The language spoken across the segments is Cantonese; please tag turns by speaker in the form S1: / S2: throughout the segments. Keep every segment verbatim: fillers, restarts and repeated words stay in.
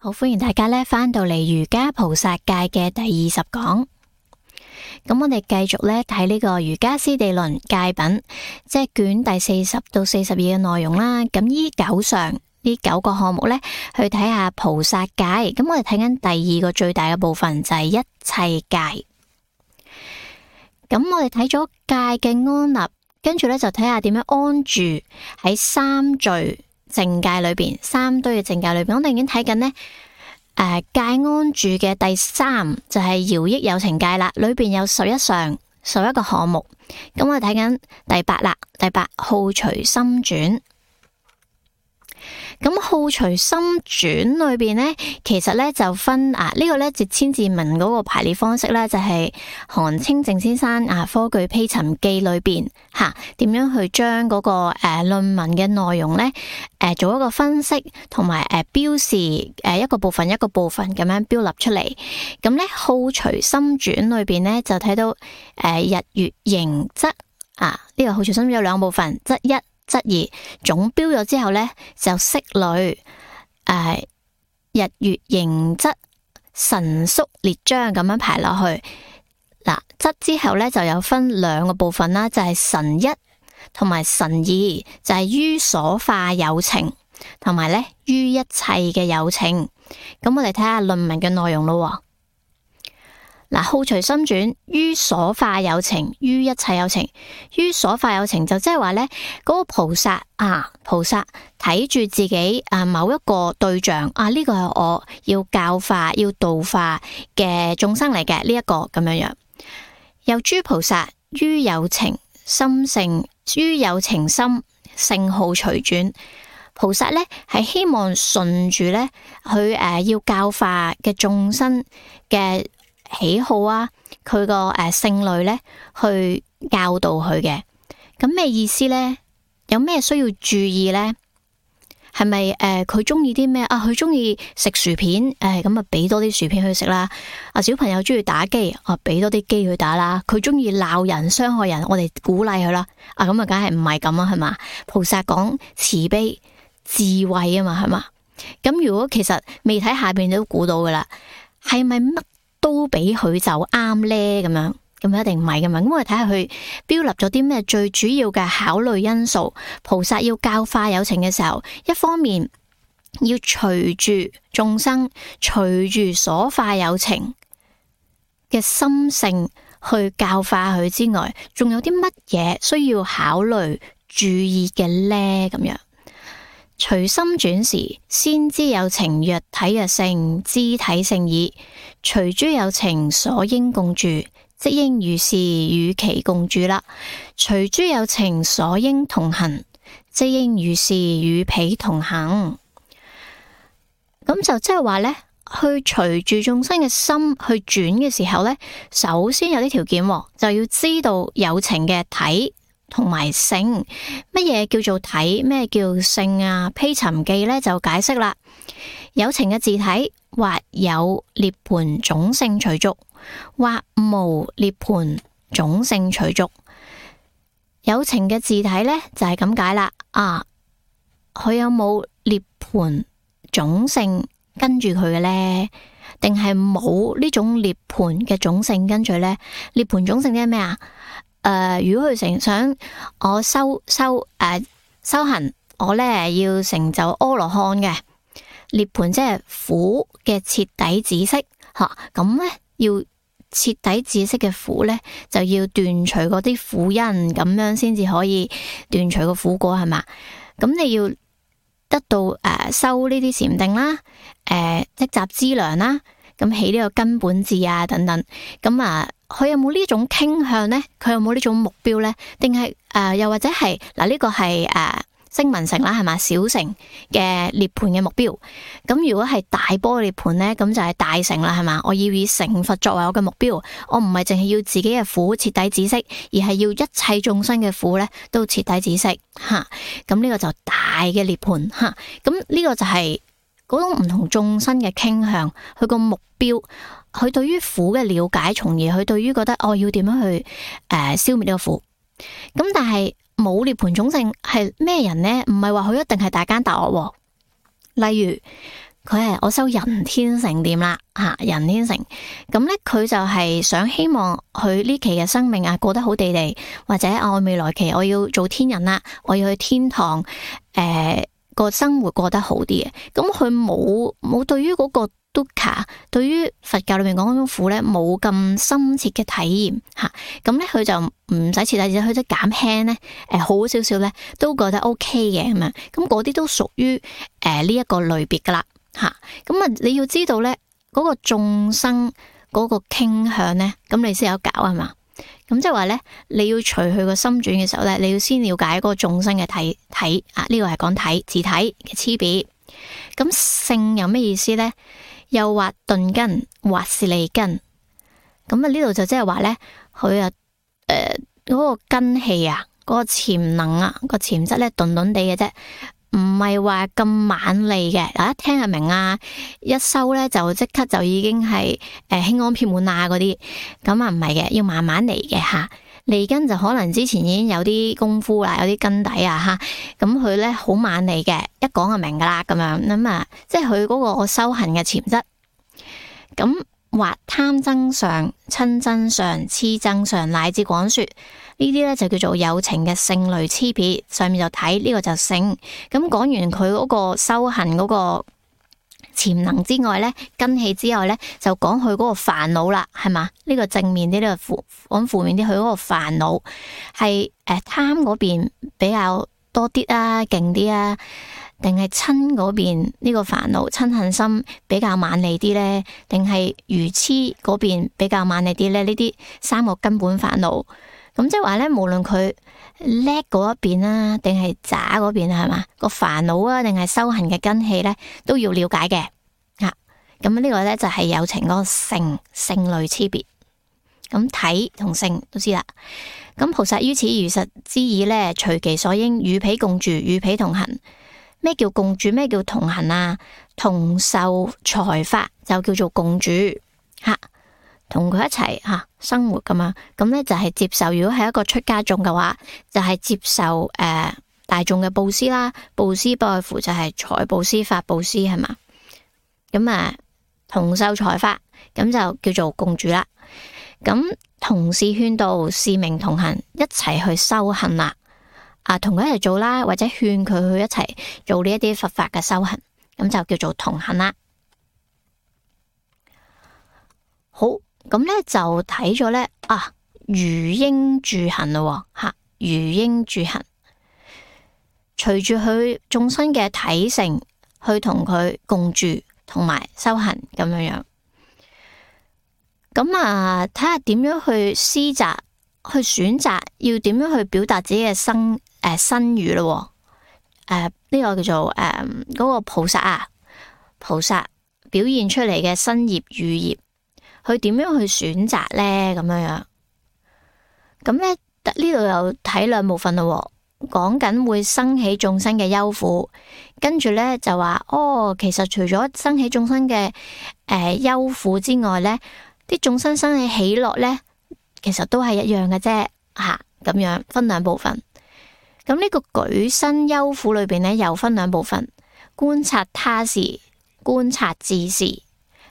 S1: 好，歡迎大家咧翻到嚟瑜伽菩薩戒嘅第二十講。咁我哋繼續咧睇呢個瑜伽師地論戒品，即係卷第四十到四十二嘅內容啦。咁依九上呢九個項目咧，去睇下菩薩戒。咁我哋睇緊第二個最大嘅部分就係一切戒。咁我哋睇咗戒嘅安立，跟住咧就睇下點樣安住喺三聚淨戒裏邊，三堆嘅淨戒裏邊，我哋已經睇緊呢誒戒安住嘅第三就係饒益有情戒啦，裏邊有十一上十一個項目。咁我哋睇緊第八啦，第八好隨心轉。咁好隨心轉裏邊呢，其實呢就分啊，呢、這個呢節千字文嗰個排列方式呢，就係、是、韓清靜先生啊科舉披尋記裏邊吓，點、啊、樣去將嗰、那個誒論、啊、文嘅內容呢誒、啊、做一個分析，同埋誒標示誒、啊、一個部分一個部分咁樣標立出嚟。咁呢好隨心轉裏邊呢，就睇到誒、啊、日月形則啊，呢、這個好隨心轉有兩個部分，則一。則二總標咗之後呢，就色類誒日月形則神宿列章咁樣排落去。嗱，則之後呢，就有分兩個部分啦，就係、是、神一同埋神二，就係、是、於所化有情同埋呢於一切嘅有情。咁我哋睇下論文嘅內容咯。嗱，好隨心轉於所化有情，於一切有情。於所化有情就即係話呢嗰個菩薩啊，菩薩睇住自己啊某一個對象啊，呢、這個係我要教化、要度化嘅眾生嚟嘅呢一個咁樣樣。有諸菩薩於有情心性，於有情心性好隨轉。菩薩呢係希望順住呢佢誒要教化嘅眾生嘅喜好啊，佢個誒性類咧去教導佢嘅。咁咩意思咧？有咩需要注意咧？係咪誒佢中意啲咩啊？佢中意食薯片，誒咁啊俾多啲薯片去食啦。啊小朋友中意打機，啊俾多啲機去打啦。佢中意鬧人傷害人，我哋鼓勵佢啦。啊咁啊梗係唔係咁啊？係嘛？菩薩講慈悲智慧啊嘛，係嘛？咁如果其實未睇下邊都估到噶啦，係咪乜都俾佢就啱呢？咁樣咁一定唔係噶嘛。咁我哋睇下佢標立咗啲咩最主要嘅考慮因素。菩薩要教化有情嘅時候，一方面要隨住眾生，隨住所化有情嘅心性去教化佢之外，仲有啲乜嘢需要考慮注意嘅呢？咁樣隨心轉時，先知有情若體若性，肢體性矣。隨諸有情所應共住，即應如是與其共住啦。隨諸有情所應同行，即應如是與彼同行。咁就即係話呢，去隨住眾生嘅心去轉嘅時候呢，首先有啲條件，就要知道有情嘅體同埋性。乜嘢叫做體？咩叫性啊？披尋記呢就解釋啦。有情嘅自體，或有涅槃種性隨逐，或無涅槃種性隨逐。有情嘅自體呢，就係咁解啦。啊，佢有冇涅槃種性跟住佢嘅呢？定係冇呢種涅槃嘅種性跟住呢？涅槃種性即係咩啊？誒、呃，如果佢成想我修修誒、呃、修行，我呢要成就阿羅漢嘅。涅槃即係苦嘅徹底止息，吓咁咧要徹底止息嘅苦咧，就要斷除嗰啲苦因，咁樣先至可以斷除個苦果，係嘛？咁你要得到誒、呃、修呢啲禪定啦，誒積集資糧啦，咁起呢個根本智啊等等，咁啊佢有冇呢種傾向咧？佢有冇呢種目標咧？定係誒又或者係嗱呢個係誒？呃聲聞乘啦，係嘛？小乘嘅涅槃嘅目標。咁如果係大波涅槃呢，咁就係大乘啦，係嘛？我要以成佛作為我嘅目標，我唔係淨係要自己嘅苦徹底止息，而係要一切眾生嘅苦呢都徹底止息。吓，咁呢個就大嘅涅槃。吓，咁呢個就係嗰種唔同眾生嘅傾向，佢個目標，佢對於苦嘅了解，從而佢對於覺得我、哦、要點樣去誒、呃、消滅呢個苦。咁但係冇涅槃種性係咩人呢？唔係話佢一定係大奸大惡。例如佢係我修人天乘點啦吓，人天乘咁咧，佢就係想希望佢呢期嘅生命啊過得好地地，或者啊我未來期我要做天人啦，我要去天堂，誒、呃、個生活過得好啲嘅。咁佢冇冇對於嗰個 dukkha， 對於佛教裏面講嗰種苦咧冇咁深切嘅體驗吓，咁咧佢就唔使徹底，佢即係減輕咧，誒、呃、好少少咧都覺得 OK 嘅咁樣。咁嗰啲都屬於誒呢一個類別噶啦。吓，咁啊！你要知道咧，嗰個眾生嗰個傾向咧，咁你先有搞係嘛？咁即係話咧，你要隨佢個心轉嘅時候咧，你要先了解嗰個眾生嘅體體啊，呢個係講體自體嘅差別。咁性有咩意思咧？又或鈍根，或是利根。咁啊呢度就即係話咧，佢啊誒嗰個根氣啊，嗰個潛能啊，個潛質咧鈍鈍地嘅啫。唔係話咁猛利嘅，嗱一聽就明啊，一收咧就即刻就已經係誒輕安遍滿啊嗰啲，咁啊唔係嘅，要慢慢嚟嘅吓。利根就可能之前已經有啲功夫啦，有啲根底啊吓，咁佢咧好猛利嘅，一講就明噶啦咁樣，咁啊即係佢嗰個修行嘅潛質。咁或貪增上、親增上、痴增上，乃至廣說。呢啲咧就叫做有情嘅性類差別，上面就睇呢、這個就性。咁講完佢嗰個修行嗰個潛能之外咧，根氣之外咧，就講佢嗰個煩惱啦，係嘛？呢、這個正面啲，呢、這個負講負面啲，佢嗰個煩惱係誒貪嗰邊比較多啲啊，勁啲啊，定係嗔嗰邊呢個煩惱嗔恨心比較猛利啲咧，定係愚痴嗰邊比較猛利啲咧？呢啲三個根本煩惱。咁即係話咧，無論佢叻嗰一邊啦，定係渣嗰邊啊，係嘛？個煩惱啊，定係修行嘅根器咧，都要了解嘅。吓、啊，咁呢個咧就係有情嗰個性性類差別。咁體同性都知啦。咁菩薩於此如實之意咧，隨其所應，與彼共住，與彼同行。咩叫共住？咩叫同行啊？同受財法就叫做共住。吓、啊。同佢一齊吓、啊、生活噶嘛，咁咧就係接受。如果係一個出家眾嘅話，就係、是、接受誒、呃、大眾嘅布施啦。布施不外乎就係財布施、法布施係嘛。咁啊，同受財法，咁就叫做共住啦。咁同事勸導，是名同行，一齊去修行啦。啊，同佢一齊做啦，或者勸佢去一齊做呢一啲佛法嘅修行，咁就叫做同行啦。好。咁咧就睇咗咧啊，如應住行咯吓，如應住行，隨住佢眾生嘅體性去同佢共住，同埋修行咁樣樣。咁啊，睇下點樣去施擇，去選擇要點樣去表達自己嘅身誒身語咯。誒、呃、呢、這個叫做誒嗰、呃那個菩薩啊，菩薩表現出嚟嘅身業語業。佢點樣去選擇咧？咁樣樣，咁咧呢度又睇兩部分咯。講緊會生起眾生嘅憂苦，跟住咧就話哦，其實除咗生起眾生嘅誒憂苦之外咧，啲眾生生起喜樂咧，其實都係一樣嘅啫。吓、啊、咁樣分兩部分。咁呢個舉身憂苦裏邊咧，又分兩部分：觀察他事，觀察自事。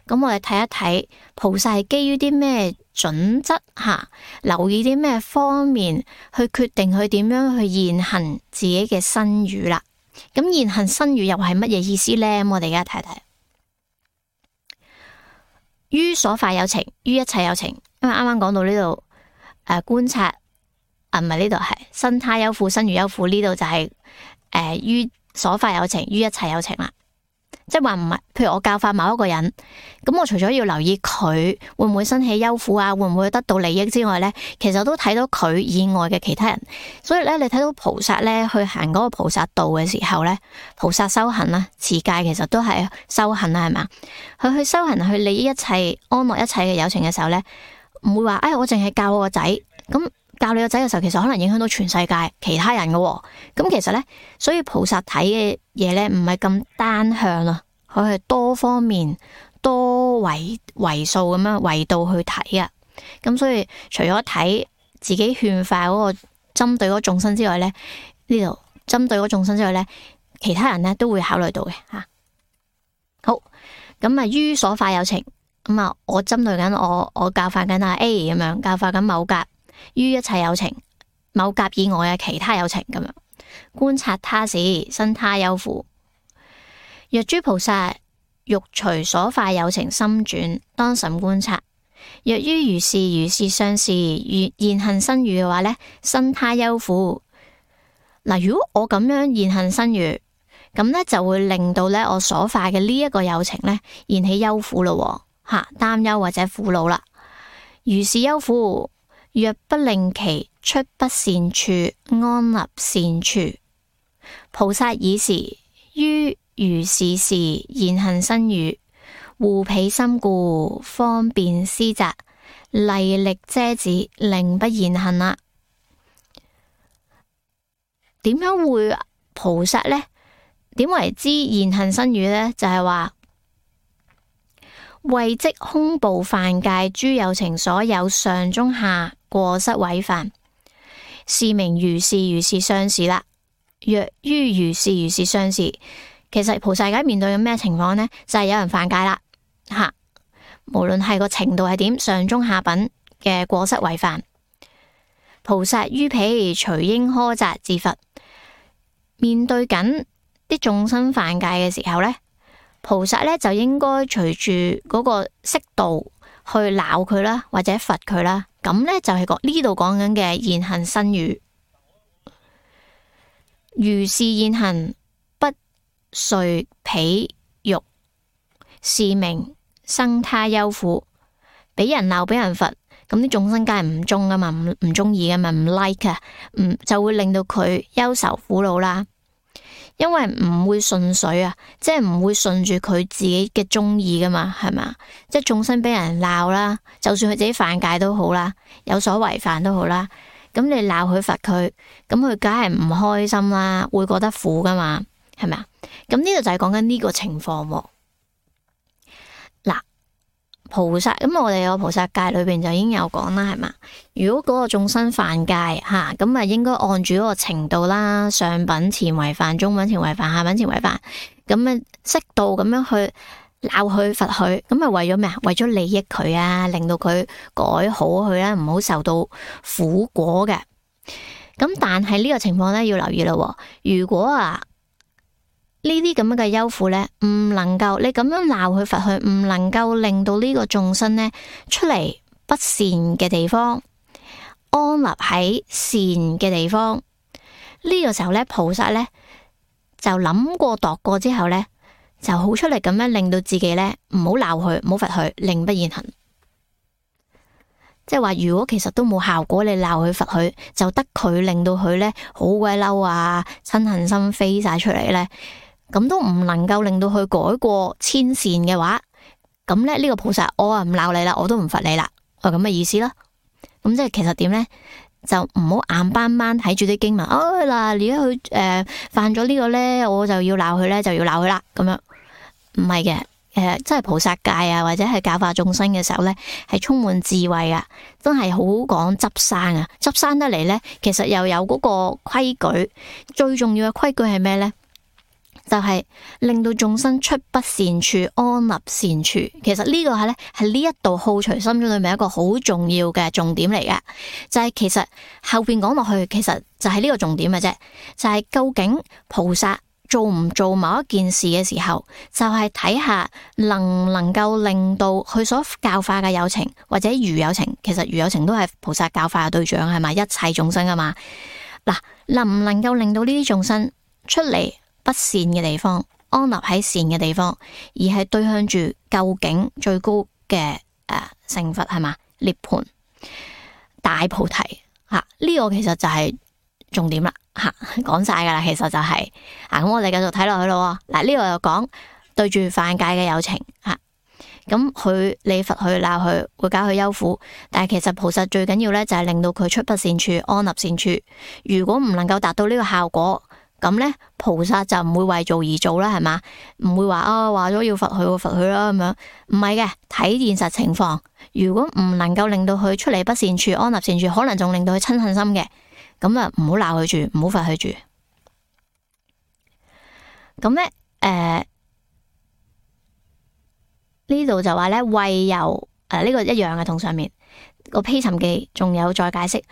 S1: 咁我哋睇一睇菩薩係基於啲咩準則吓，留意啲咩方面去決定佢點樣去現行自己嘅身語啦。咁現行身語又係乜嘢意思呢？咁我哋而家睇睇，於所法有情，於一切有情。因為啱啱講到呢度誒，觀察啊，唔係呢度係身他憂苦，身語憂苦。呢度就係誒於所法有情，於一切有情啦。即係話唔係，譬如我教化某一個人，咁我除咗要留意佢會唔會生起憂苦啊，會唔會得到利益之外咧，其實都睇到佢以外嘅其他人。所以咧，你睇到菩薩咧去行嗰個菩薩道嘅時候咧，菩薩修行啦，持戒其實都係修行啦，係嘛？佢去修行去利益一切安樂一切嘅有情嘅時候咧，唔會話誒、哎，我淨係教我個仔咁。教你個仔嘅時候，其實可能影響到全世界其他人嘅、哦。咁其實咧，所以菩薩睇嘅嘢咧，唔係咁單向啊，佢係多方面、多維維數咁樣維度去睇啊。咁所以除咗睇自己勸化嗰個針對嗰眾生之外咧，呢度針對嗰眾生之外咧，其他人咧都會考慮到嘅吓。好，咁啊於所化有情，咁啊我針對緊我我教化緊啊 A 咁樣，教化緊某甲於一切有情，某甲以外嘅其他有情咁樣，觀察他時，生他憂苦。若諸菩薩欲隨所化有情心轉，當審觀察。若於如是如是相事，如現行身語嘅話呢，生他憂苦。嗱，如果我咁樣現行身語，咁呢就會令到呢我所化嘅呢一個有情呢現起憂苦咯，吓擔憂或者苦惱啦。如是憂苦，若不令其出不善處，安立善處，菩薩爾時於如是事現行身語，護彼心故，方便施責，厲力遮止，令不現行啦。點樣會菩薩呢？點為之現行身語呢？就係、是、話為即空怖犯戒諸有情所有上中下過失違犯，是名如是如是相事啦。若於如是如是相事，其實菩薩而家面對緊咩情況呢？就係、是、有人犯戒啦，吓，無論係個程度係點，上中下品嘅過失違犯，菩薩於彼隨應苛責治罰。面對緊啲眾生犯戒嘅時候呢，菩薩呢就應該隨住嗰個適度去鬧佢啦，或者罰佢啦。咁呢就係講呢度講緊嘅現行身語，如是現行不遂彼欲，是名生他憂苦。俾人鬧，俾人罰，咁啲眾生梗係唔中噶嘛，唔唔中意噶嘛，唔 like 啊，唔就會令到佢憂愁苦惱啦。因為唔會順水啊，即係唔會順住佢自己嘅中意噶嘛，係嘛？即係眾生俾人鬧啦，就算佢自己犯戒都好啦，有所違犯都好啦，咁你鬧佢罰佢，咁佢梗係唔開心啦，會覺得苦噶嘛，係咪啊？咁呢度就係講緊呢個情況喎。嗱，菩薩咁我哋個菩薩戒裏邊就已經有講啦，係嘛？如果嗰個眾生犯戒吓，咁啊應該按住嗰個程度啦，上品前違犯、中品前違犯、下品前違犯，咁啊適度咁樣去鬧佢、罰佢，咁啊為咗咩啊？為咗利益佢啊，令到佢改好佢啦，唔好受到苦果嘅。咁但係呢個情況咧要留意咯，如果啊呢啲咁樣嘅憂苦咧，唔能夠你咁樣鬧佢、罰佢，唔能夠令到呢個眾生咧出嚟不善嘅地方，安立喺善嘅地方，呢、這個時候咧，菩薩咧就諗過度過之後咧，就好出嚟咁樣令到自己咧唔好鬧佢，唔好罰佢，令不現行。即係話，如果其實都冇效果，你鬧佢罰佢，就得佢令到佢咧好鬼嬲啊，嗔恨心飛晒出嚟咧，咁都唔能夠令到佢改過遷善嘅話，咁咧呢個菩薩我啊唔鬧你啦，我都唔罰你啦，係咁嘅意思啦。咁即係其實點呢？就唔好硬斑斑睇住啲經文，哦嗱，而家佢誒犯咗呢個呢，我就要鬧佢呢，就要鬧佢啦。咁樣唔係嘅，誒、呃，即係菩薩戒啊，或者係教化眾生嘅時候呢，係充滿智慧啊，真係好講執生啊，執生得嚟呢，其實又有嗰個規矩，最重要嘅規矩係咩呢？就係令到眾生出不善處，安立善處。其實呢個係咧係呢一度好隨心中裏面一個好重要嘅重點嚟嘅。就係、是、其實後邊講落去，其實就係呢個重點嘅啫。就係、是、究竟菩薩做唔做某一件事嘅時候，就係、是、睇下能唔能夠令到佢所教化嘅有情或者餘有情，其實餘有情都係菩薩教化嘅對象，係咪？一切眾生啊嘛。嗱，能唔能夠令到呢啲眾生出嚟不善嘅地方，安立喺善嘅地方，而係對向住究竟最高嘅誒成佛係嘛？涅槃大菩提吓，呢、啊這個其實就係重點啦吓，講晒噶啦，其實就係、是、啊，咁我哋繼續睇落去咯。嗱、啊，呢、這個又講對住犯戒嘅有情吓，咁、啊、佢你罰佢鬧佢，會搞佢憂苦，但係其實菩薩最緊要咧就係令到佢出不善處，安立善處。如果唔能夠達到呢個效果，咁咧，菩薩就唔會為做而做啦，係嘛？唔會話啊，話咗要罰佢，我罰佢啦咁樣。唔係嘅，睇現實情況。如果唔能夠令到佢出嚟不善處，安立善處，可能仲令到佢嗔恨心嘅，咁啊，唔好鬧佢住，唔好罰佢住。咁咧，誒、呃，呢度就話咧，為由誒呢個一樣嘅，同上面個披尋記仲有再解釋，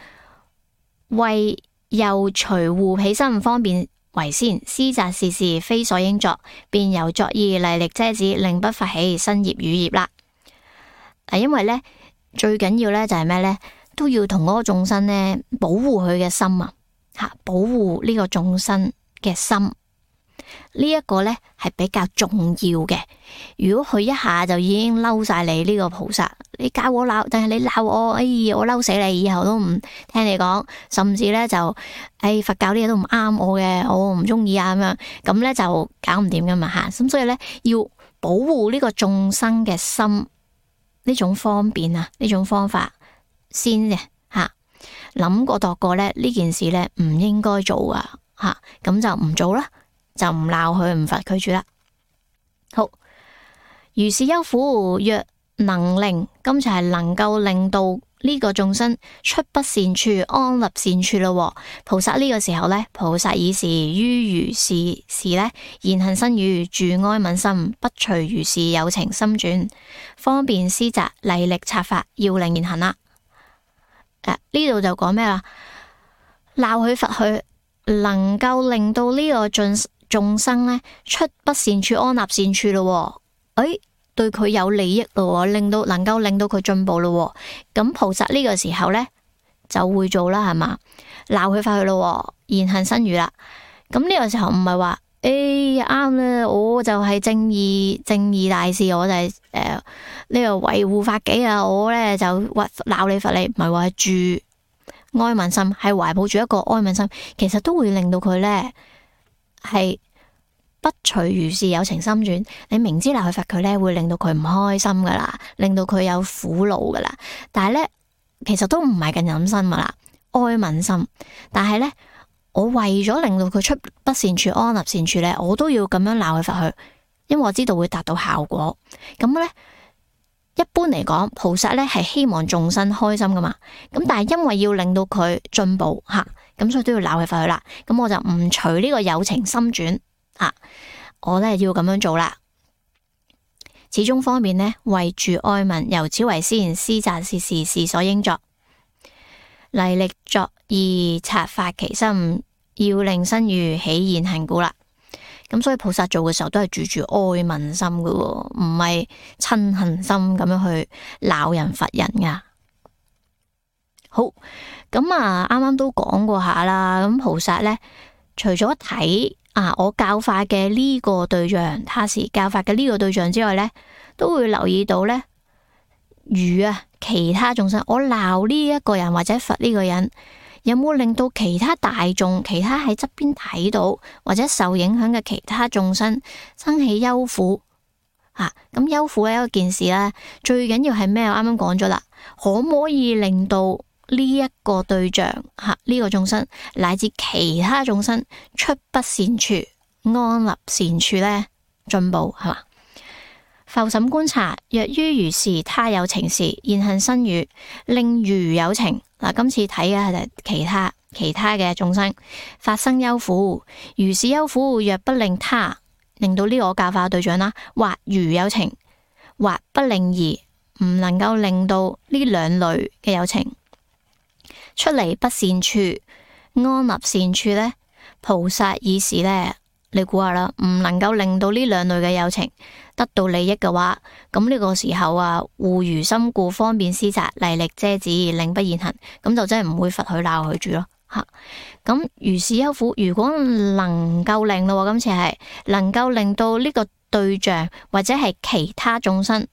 S1: 為由隨護起身方便為先，私責事事非所應作，便由作意厲力遮止，令不發起新業語業啦。嗱，因為咧最緊要咧就係咩咧，都要同嗰個眾生咧保護佢嘅心啊，吓保護呢個眾生嘅心。呢一個呢係比較重要嘅。如果佢一下就已經嬲晒你呢個菩薩，你教我鬧，但係你鬧我，哎呀我嬲死你，以後都唔聽你講，甚至呢就，哎佛教啲嘢都唔啱我嘅，我唔中意啊咁樣，咁呢就搞唔掂噶嘛吓。咁所以呢，要保護呢個眾生嘅心，呢種方便啊，呢種方法先嘅吓，諗過度過呢，呢件事呢唔應該做啊吓，咁就唔做啦。就唔鬧佢，唔罰佢住啦。好，如是憂苦，若能令，今次係能夠令到呢個眾生出不善處，安立善處咯。菩薩呢個時候呢，菩薩以是於如是事呢，言行身語住哀憫心，不隨如是有情心轉，方便施責厲力策法，要令言行啦。誒、啊，呢度就講咩啦？鬧佢罰佢，能夠令到呢個眾眾生呢出不善處，安立善處咯。誒，對佢有利益咯，令到能夠令到佢進步咯。咁菩薩呢個時候呢就會做啦，係嘛？鬧佢罰佢咯，言行身語啦。咁呢個時候唔係話誒啱啦，我就係正義正義大事，我就係誒呢個維護法紀啊，我呢就鬧你罰你，唔係話係住哀憫心，係懷抱住一個哀憫心，其實都會令到佢呢係不隨如是有情心轉。你明知鬧佢罰佢呢，會令到佢唔開心噶啦，令到佢有苦惱噶啦。但係呢，其實都唔係咁忍心噶啦，哀憫心。但係呢，我為咗令到佢出不善處，安立善處呢，我都要咁樣鬧佢罰佢，因為我知道會達到效果。咁呢，一般嚟講，菩薩呢係希望眾生開心噶嘛。咁但係因為要令到佢進步吓，咁所以都要鬧佢罰佢啦。咁我就唔隨呢個有情心轉啊，我呢要咁樣做啦。始終方面呢，為住哀憫，由此為先，施責事事事所應作，厲力作意策發其心，要令身語起言行故啦。咁所以菩薩做嘅時候都係住住哀憫心嘅，唔係嗔恨心咁樣去鬧人罰人噶。好，咁啊，啱啱都講過下啦。咁菩薩呢，除咗睇啊我教化嘅呢個對象，他是教化嘅呢個對象之外呢，都會留意到呢，如啊其他眾生，我鬧呢一個人或者罰呢個人，有冇令到其他大眾、其他喺側邊睇到或者受影響嘅其他眾生生起憂苦啊？咁憂苦嘅一件事呢，最緊要係咩？我啱啱講咗啦，可唔可以令到呢一個對象吓呢、啊這個眾生乃至其他眾生出不善處，安立善處呢？進步係嘛？復審觀察，若於如是他有情事，言行身語令如有情。嗱，今次睇嘅係其他其他嘅眾生發生憂苦，如是憂苦若不令他令到呢個教化對象啦，或如有情，或不令而唔能夠令到呢兩類嘅有情出離不善處，安立善處呢，菩薩以是呢，你估下啦，唔能夠令到呢兩類嘅有情得到利益嘅話，咁呢個時候啊，護如心故，方便施責，厲力遮止，令不言行，咁就真係唔會罰佢鬧佢住咯吓。咁如是憂苦，如果能夠令咯，今次係能夠令到呢個對象或者係其他眾生，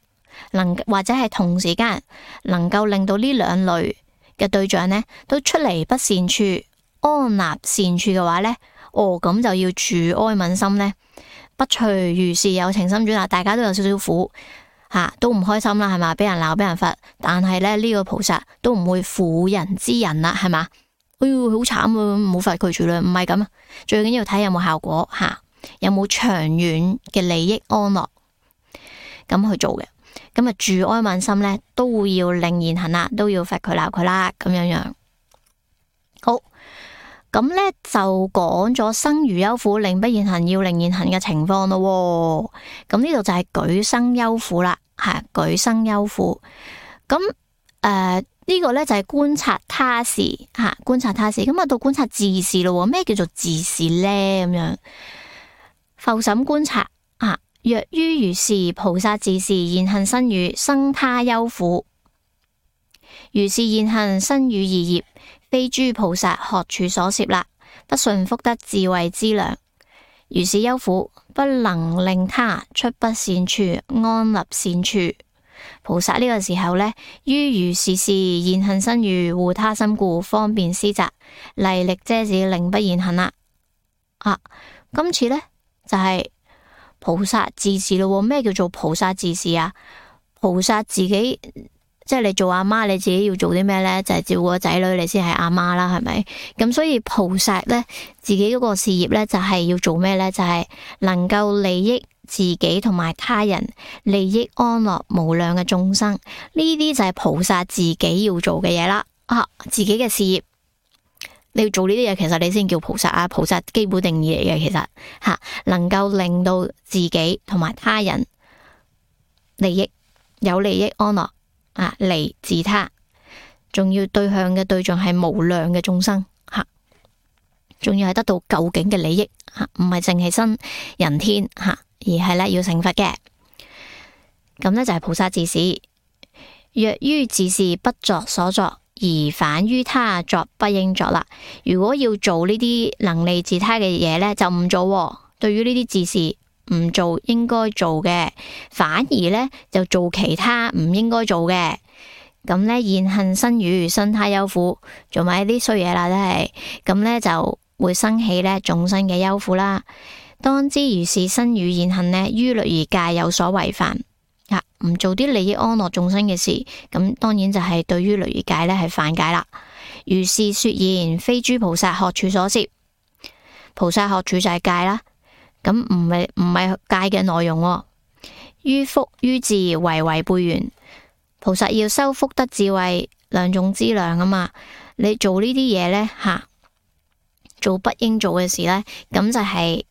S1: 能或者係同時間能夠令到呢兩類嘅對象呢都出離不善處，安立善處嘅話呢，哦咁就要住哀憫心呢，不隨如是有情心轉啦。大家都有少少苦吓、啊，都唔開心啦，係嘛？俾人鬧，俾人罰，但係咧呢、這個菩薩都唔會婦人之仁啦，係嘛？哎喲，好慘啊，唔好罰佢住啦，唔係咁啊。最緊要睇有冇效果吓、啊，有冇長遠嘅利益安樂咁去做嘅。咁啊，住哀憫心咧，都要令言行啦，都要罰佢鬧佢啦，咁樣樣。好。咁呢就講咗生如憂苦，令不言行，要令言行嘅情況咯。咁呢度就係舉生憂苦啦。吓舉生憂苦。咁誒呢個咧就係觀察他事吓，觀察他事。咁啊到觀察自事咯。咩叫做自事咧？咁樣復審觀察啊。若於如是，菩薩自事言行身語生他憂苦。如是言行身語二業，非諸菩薩學處所攝啦，不順福德智慧資糧。如是憂苦，不能令他出不善處，安立善處。菩薩呢個時候呢，於如是事言行身語護他心故，方便施責，厲力遮止，令不言行啦。啊，今次呢，就係、是、菩薩自事咯。咩叫做菩薩自事啊？菩薩自己即係你做阿媽，你自己要做啲咩呢？就係、是、照顧個仔女，你先係阿媽啦，係咪？咁所以菩薩呢，自己嗰個事業呢，就係、是、要做咩呢？就係、是、能夠利益自己同埋他人，利益安樂無量嘅眾生。呢啲就係菩薩自己要做嘅嘢啦。啊，自己嘅事業你要做呢啲嘢，其實你先叫菩薩啊。菩薩基本定義嚟嘅，其實吓、啊、能夠令到自己同埋他人利益有利益安樂啊，利自他，仲要對向嘅對象係無量嘅眾生吓，仲、啊、要係得到究竟嘅利益吓，唔係淨係生人天吓。啊而係咧要成佛嘅，咁呢就係菩薩自事。若於自事不作所作，而反於他作不應作啦。如果要做呢啲能利自他嘅嘢呢，就唔做。對於呢啲自事唔做應該做嘅，反而呢就做其他唔應該做嘅。咁呢言行身語生他憂苦，做埋啲衰嘢啦，都係咁呢就會生起呢眾生嘅憂苦啦。當知如是身語言行呢，於律儀戒有所違犯啊，唔做啲利益安樂眾生嘅事，咁當然就係對於律儀戒呢係犯戒啦。如是說言，非諸菩薩學處所攝。菩薩學處就係戒啦，咁唔係唔係戒嘅內容喎。於福於智為違背緣。菩薩要修福德智慧兩種資糧啊嘛，你做呢啲嘢呢，吓、啊，做不應做嘅事呢，咁就係、是。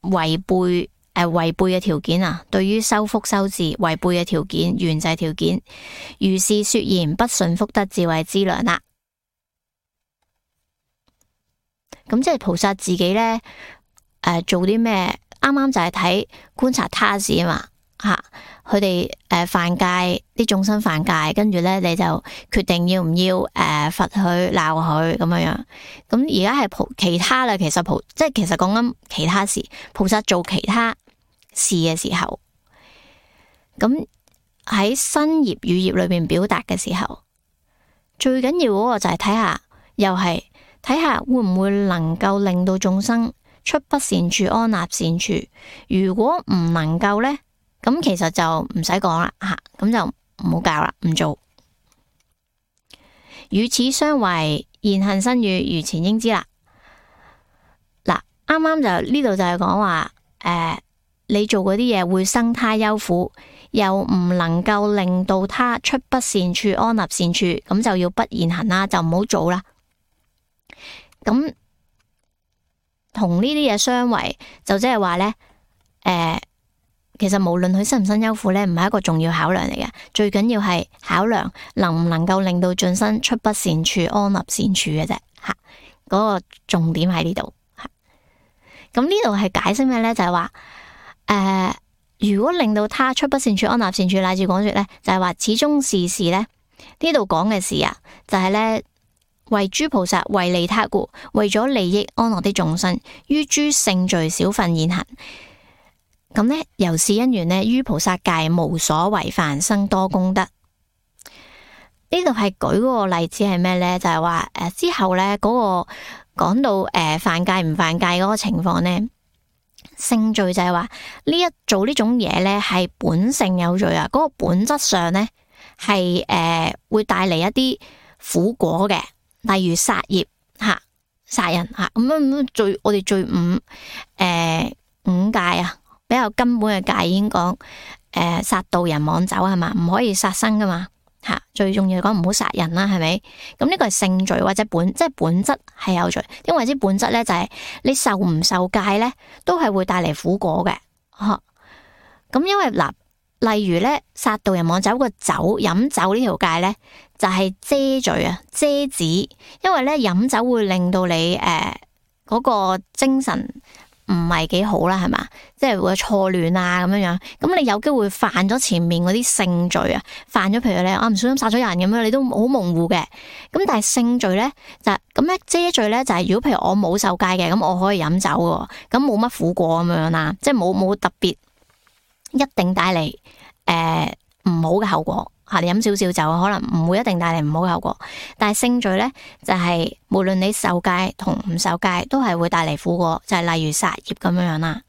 S1: 違背誒，違背嘅條件啊，對於修福修智違背嘅條件，緣就係條件。如是說言，不順福德智慧資糧啦。咁即係菩薩自己呢，誒、呃、做啲咩？啱啱就係睇觀察他事啊嘛，吓佢哋誒犯戒，啲眾生犯戒，跟住呢，你就決定要唔要誒罰佢鬧佢咁樣樣。咁而家係菩其他啦，其實菩即係其實講緊其他事，菩薩做其他事嘅時候，咁喺身業語業裏邊表達嘅時候，最緊要嗰個就係睇下，又係睇下會唔會能夠令到眾生出不善處，安立善處。如果唔能夠呢，咁其實就唔使講啦吓，咁就唔好教啦，唔做。與此相違，言行身語如前應知啦。嗱，啱啱就呢度就係講話，誒、呃，你做嗰啲嘢會生他憂苦，又唔能夠令到他出不善處，安立善處，咁就要不言行啦，就唔好做啦。咁同呢啲嘢相違，就即係話呢。誒、呃。其實無論佢生唔生憂苦呢，唔係一個重要考量嚟嘅，最緊要係考量能唔能夠令到眾生出不善處，安立善處嘅啫。吓，嗰個重點喺呢度。吓，咁呢度係解釋咩呢？就係話，誒，如果令到他出不善處，安立善處，乃至講說呢，就係話始終是事呢。呢度講嘅事啊，就係呢：為諸菩薩為利他故，為咗利益安樂的眾生，於諸聖罪小分言行。咁呢，由是因緣呢，於菩薩戒無所違犯，生多功德。呢度係舉嗰個例子係咩呢？就係話誒之後呢，嗰、嗰個講到誒、呃、犯戒唔犯戒嗰個情況呢，聖罪就係話呢一做呢種嘢呢係本性有罪啊，嗰、嗰個本質上呢係誒、呃、會帶嚟一啲苦果嘅，例如殺業吓、殺人吓咁樣罪，我哋罪五誒、呃、五戒啊。比較根本嘅戒已經講，誒、呃、殺盜人妄走係嘛，唔可以殺生噶嘛吓，最重要講唔好殺人啦，係咪？咁呢個係性罪或者本，即係本質係有罪。因為之本質咧就係、是、你受唔受戒咧，都係會帶嚟苦果嘅。吓、啊，咁因為嗱例如咧，殺盜人亡酒個酒飲酒呢條戒咧，就係遮罪啊，遮止，因為咧飲酒會令到你誒嗰、呃那個精神唔係幾好啦，係嘛，即係會有錯亂啊咁樣樣，咁你有機會犯咗前面嗰啲性罪啊，犯咗譬如你啊唔小心殺咗人咁樣，你都好模糊嘅。咁但係性罪咧就咁咧，遮罪咧就係、是、如果譬如我冇受戒嘅，咁我可以飲酒嘅，咁冇乜苦果咁樣啦，即係冇冇特別一定帶嚟誒唔好嘅後果吓，你飲少少酒可能唔會一定帶嚟唔好嘅後果，但係性罪咧就係、是、無論你受戒同唔受戒都係會帶嚟苦果，就係、是、例如殺業咁樣樣啦。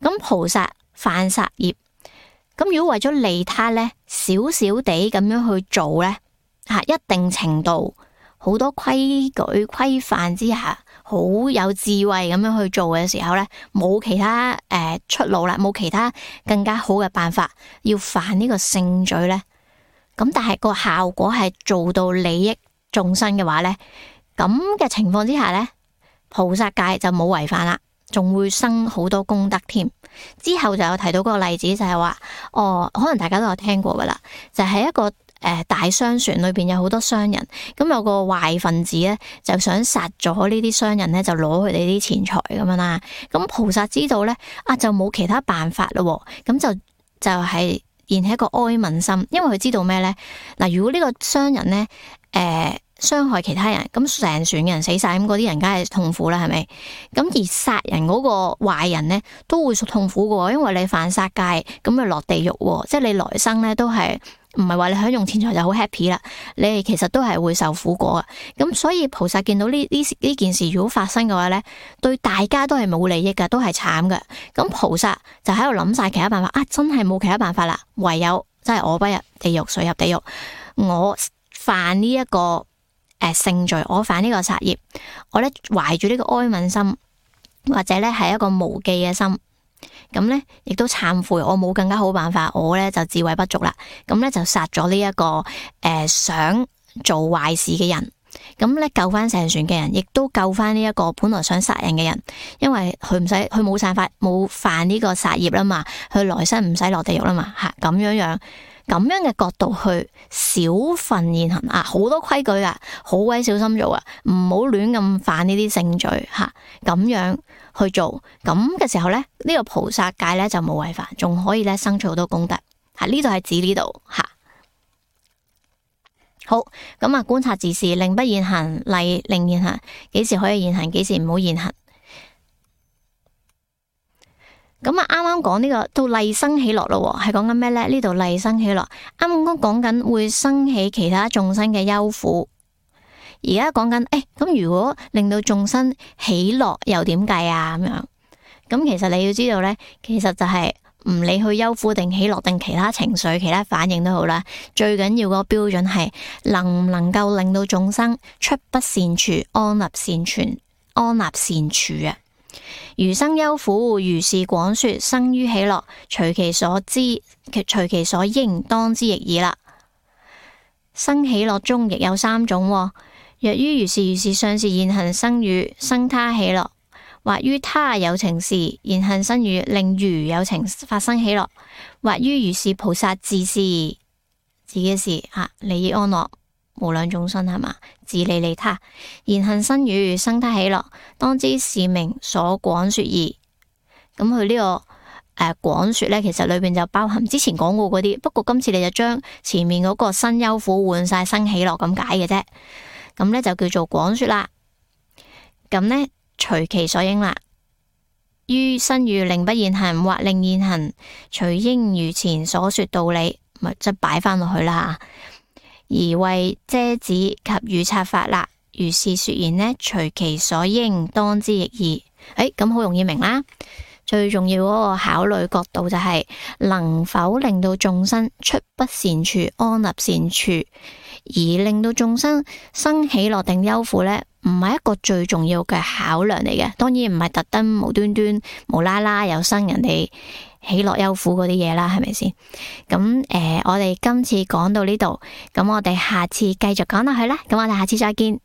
S1: 咁菩薩犯殺業，咁如果為咗利他咧，少少地咁樣去做咧吓，一定程度好多規矩規範之下，好有智慧咁樣去做嘅時候咧，冇其他誒、呃、出路啦，冇其他更加好嘅辦法，要犯呢個性罪咧。咁但係個效果係做到利益眾生嘅話咧，咁嘅情況之下咧，菩薩戒就冇違犯啦，仲會生好多功德添。之後就有提到嗰個例子，就係話，哦，可能大家都有聽過噶啦，就係、是、一個誒、呃、大商船裏邊有好多商人，咁有個壞分子咧就想殺咗呢啲商人咧，就攞佢哋啲錢財咁樣啦。咁菩薩知道咧，啊就冇其他辦法咯，咁就就係、是。然係一個哀憫心，因為佢知道咩咧？嗱，如果呢個商人咧，誒、呃、傷害其他人，咁成船嘅人死晒，咁嗰啲人梗係痛苦啦，係咪？咁而殺人嗰個壞人咧，都會痛苦嘅，因為你犯殺戒，咁咪落地獄，即係你來生咧都係唔係話你享用錢財就好 happy 啦，你其實都係會受苦果嘅。咁所以菩薩見到呢呢呢件事如果發生嘅話咧，對大家都係冇利益噶，都係慘嘅。咁菩薩就喺度諗晒其他辦法，啊真係冇其他辦法啦，唯有真係我不入地獄，誰入地獄？我犯呢、這、一個誒、呃、性罪，我犯呢個殺業，我咧懷住呢個哀憫心，或者咧係一個無記嘅心。咁咧，亦都懺悔，我冇更加好辦法，我咧就智慧不足啦。咁咧就殺咗呢一個誒、呃、想做壞事嘅人，咁咧救翻成船嘅人，亦都救翻呢一個本來想殺人嘅人，因為佢唔使，佢冇犯法，冇犯呢個殺業啦嘛，佢來生唔使落地獄啦嘛，吓咁樣樣，咁樣嘅角度去少分現行啊，好多規矩啊，好鬼小心做啊，唔好亂咁犯呢啲性罪吓，咁樣。去做咁嘅時候咧，呢、這個菩薩戒咧就冇違犯，仲可以咧生出好多功德。吓，呢度係指呢度吓。好，咁啊，觀察自事，令不現行，例令現行，幾時可以現行，幾時唔好現行。咁啊，啱啱講呢個到例生喜樂咯，係講緊咩咧？呢度例生喜樂，啱啱講緊會生起其他眾生嘅憂苦。而家講緊，誒、欸，咁如果令到眾生喜樂又點計啊？咁樣，咁其實你要知道咧，其實就係唔理佢憂苦定喜樂定其他情緒、其他反應都好啦，最緊要個標準係能唔能夠令到眾生出不善處，安立善存，安立善處啊！如生憂苦，如是廣說，生於喜樂，隨其所知，隨其所應，當知亦爾啦。生喜樂中亦有三種、哦。若於如是如是相事現行生語生他喜樂，或於他有情事現行生語令餘有情發生喜樂，或於如是菩薩自事自己事啊，利益安樂無量眾生係嘛，自利利他現行生語生他喜樂，當知是名所廣說義。咁佢呢個誒廣說咧，其實裏邊就包含之前講過嗰啲，不過今次你就將前面嗰個生憂苦換晒生喜樂咁解嘅啫。咁咧就叫做廣說啦，咁呢，隨其所應啦，於生語令不現行或令現行，隨應如前所說道理，咪即係擺翻落去啦。而為遮止及語察法啦，如是說言呢，隨其所應，當知亦爾。誒，咁好容易明啦。最重要嗰個考慮角度就係、是、能否令到眾生出不善處，安立善處。而令到眾生生喜樂定憂苦呢，唔係一個最重要嘅考量嚟嘅。當然唔係特登無端端無啦啦又生人哋喜樂憂苦嗰啲嘢啦，係咪先？咁誒、呃，我哋今次講到呢度，咁我哋下次繼續講落去啦。咁我哋下次再見。